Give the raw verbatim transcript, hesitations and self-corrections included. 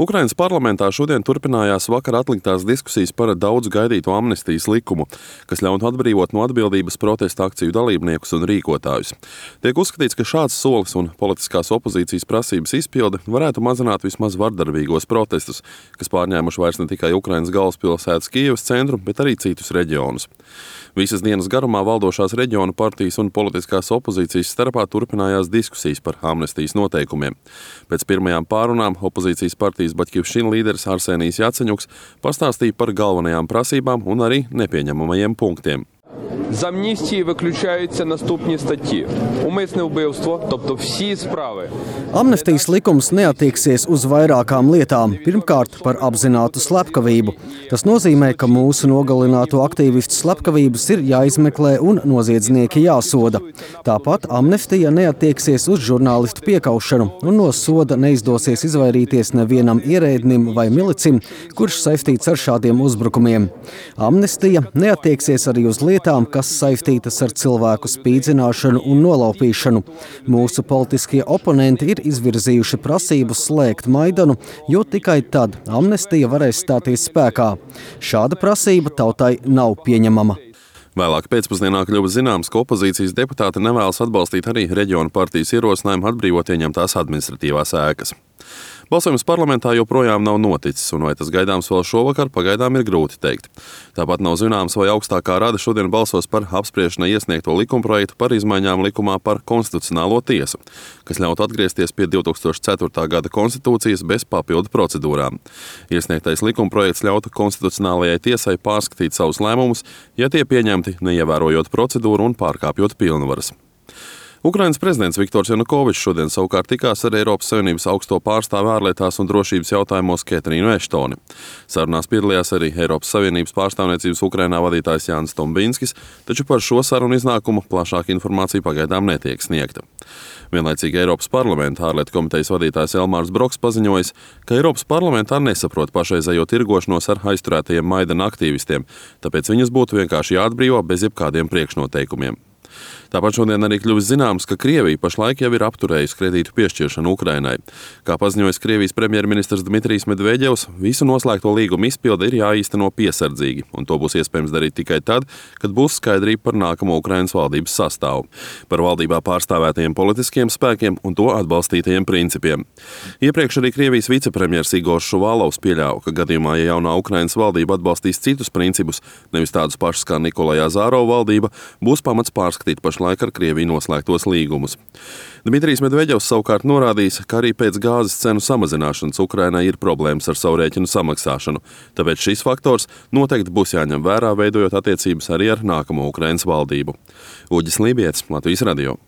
Ukrainas parlamentā šodien turpinājās vakar atliktās diskusijas par daudz gaidīto amnestijas likumu, kas ļautu atbrīvot no atbildības protesta akciju dalībniekus un rīkotājus. Tiek uzskatīts, ka šāds solis un politiskās opozīcijas prasības izpilde varētu mazināt vismaz vardarbīgos protestus, kas pārņēmuši vairs ne tikai Ukrainas galvaspilsētas Kijevas centru, bet arī citus reģionus. Visas dienas garumā valdošās reģionu partijas un politiskās opozīcijas starpā turpinājās diskusijas par amnestijas noteikumiem. Pēc pirmajām pārunām opozīcijas partijas Baķivšina līderis Arsenijs Jaceņuks pastāstīja par galvenajām prasībām un arī nepieņemamajiem punktiem. З амністії виключаються наступні статті. Умисне вбивство, тобто всі справи. Amnestijas likums neatieksies uz vairākām lietām. Pirmkārt, par apzinātu slepkavību. Tas nozīmē, ka mūsu nogalināto aktīvistu slepkavības ir jāizmeklē un noziedznieki jāsoda. Tāpat amnestija neatieksies uz žurnālistu piekaušanu, un no soda neizdosies izvairīties nevienam ierēdnim vai milicim, kurš saistīts ar šādiem uzbrukumiem. Amnestija neatieksies arī uz lietām, kas saistītas ar cilvēku spīdzināšanu un nolaupīšanu. Mūsu politiskie oponenti ir izvirzījuši prasību slēgt Maidanu, jo tikai tad amnestija varēs stāties spēkā. Šāda prasība tautai nav pieņemama. Vēlāk pēcpusdienā kļuva zināms, ka opozīcijas deputāti nevēlas atbalstīt arī reģionu partijas ierosinājumu atbrīvot ieņemtās administratīvās ēkas. Balsojums parlamentā joprojām nav noticis, un vai tas gaidāms vēl šovakar, pagaidām ir grūti teikt. Tāpat nav zināms, vai augstākā rada šodien balsos par apspriešanai iesniegto likumprojektu par izmaiņām likumā par konstitucionālo tiesu, kas ļautu atgriezties pie divi tūkstoši ceturtā gada konstitūcijas bez papildu procedūrām. Iesniegtais likumprojekts ļautu konstitucionālajai tiesai pārskatīt savus lēmumus, ja tie pieņemti neievērojot procedūru un pārkāpjot pilnvaras. Ukrainas prezidents Viktors Janukovičs šodien savukārt tikās ar Eiropas Savienības augsto pārstāvi ārlietās un drošības jautājumos Ketrīnu Eštoni. Sarunās piedalījās arī Eiropas Savienības pārstāvniecības Ukrainā vadītājs Jānis Tombinskis, taču par šo sarunu iznākumu plašāka informācija pagaidām netiek sniegta. Vienlaicīgi Eiropas parlamenta ārlietu komitejas vadītājs Elmārs Broks paziņojis, ka Eiropas parlamentā nesaprot pašreizējo tirgošanos ar aizturētajiem Maidana aktīvistiem, tāpēc viņus būtu vienkārši jāatbrīvo bez jebkādiem priekšnoteikumiem. Tāpat šodien arī kļuvis zināms, ka Krievija pašlaik jau ir apturējusi kredītu piešķiršanu Ukrainai. Kā paziņojis Krievijas premjerministrs Dmitrijs Medveģevs, visu noslēgto līgumu izpilde ir jāīsteno piesardzīgi, un to būs iespējams darīt tikai tad, kad būs skaidrība par nākamo Ukrainas valdības sastāvu, par valdībā pārstāvētajiem politiskiem spēkiem un to atbalstītajiem principiem. Iepriekš arī Krievijas vicepremjers Igors Šuvalovs pieļāva, ka gadījumā, ja jaunā Ukrainas valdība atbalstīs citus principus, nevis tādus pašus kā Nikolai Azārovu valdība, būs pamats pārskatīt pašlaik ar Krieviju noslēgtos līgumus. Dmitrijs Medveģevs savukārt norādījis, ka arī pēc gāzes cenu samazināšanas Ukrainai ir problēmas ar savu rēķinu samaksāšanu, tāpēc šis faktors noteikti būs jāņem vērā, veidojot attiecības arī ar nākamo Ukrainas valdību. Uģis Lībietis, Latvijas radio.